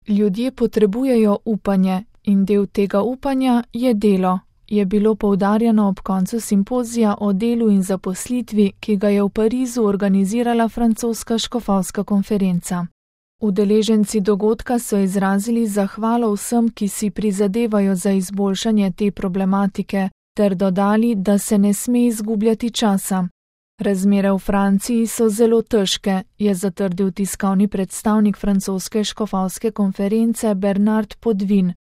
Ljudje potrebujejo upanje in del tega upanja je delo, je bilo poudarjeno ob koncu simpozija o delu in zaposlitvi, ki ga je v Parizu organizirala francoska škofovska konferenca. Udeleženci dogodka so izrazili zahvalo vsem, ki si prizadevajo za izboljšanje te problematike, ter dodali, da se ne sme izgubljati časa. Razmere v Franciji so zelo težke, je zatrdil tiskovni predstavnik francoske škofovske konference Bernard Podvin.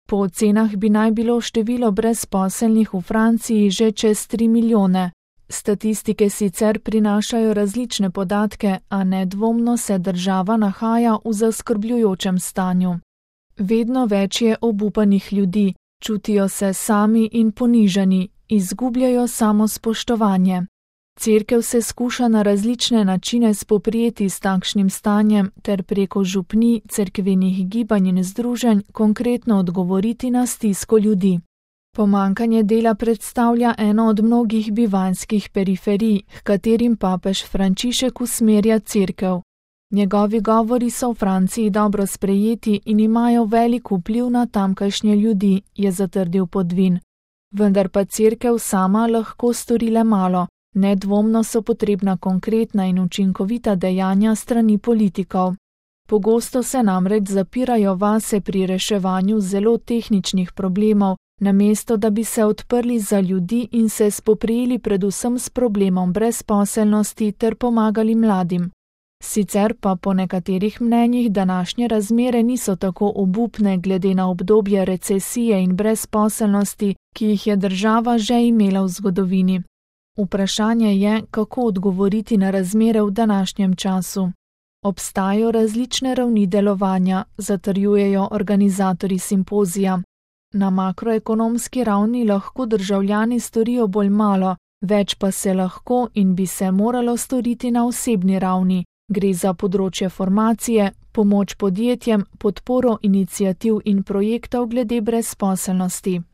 Po ocenah bi naj bilo število brezposelnih v Franciji že čez 3 milijone. Statistike sicer prinašajo različne podatke, a nedvomno se država nahaja v zaskrbljujočem stanju. Vedno več je obupanih ljudi, čutijo se sami in ponižani, izgubljajo samospoštovanje. Cerkev se skuša na različne načine spoprijeti s takšnim stanjem ter preko župnij, cerkvenih gibanj in združenj konkretno odgovoriti na stisko ljudi. Pomanjkanje dela predstavlja eno od mnogih bivanjskih periferij, h katerim papež Frančišek usmerja cerkev. Njegovi govori so v Franciji dobro sprejeti in imajo velik vpliv na tamkajšnje ljudi, je zatrdil Podvin. Vendar pa cerkev sama lahko stori le malo. Nedvomno so potrebna konkretna in učinkovita dejanja strani politikov. Pogosto se namreč zapirajo vase pri reševanju zelo tehničnih problemov, namesto da bi se odprli za ljudi in se spoprijeli predvsem s problemom brezposelnosti ter pomagali mladim. Sicer pa po nekaterih mnenjih današnje razmere niso tako obupne glede na obdobje recesije in brezposelnosti, ki jih je država že imela v zgodovini. Vprašanje je, kako odgovoriti na razmere v današnjem času. Obstajajo različne ravni delovanja, zatrjujejo organizatorji simpozija. Na makroekonomski ravni lahko državljani storijo bolj malo, več pa se lahko in bi se moralo storiti na osebni ravni. Gre za področje formacije, pomoč podjetjem, podporo iniciativ in projektov glede brezposelnosti.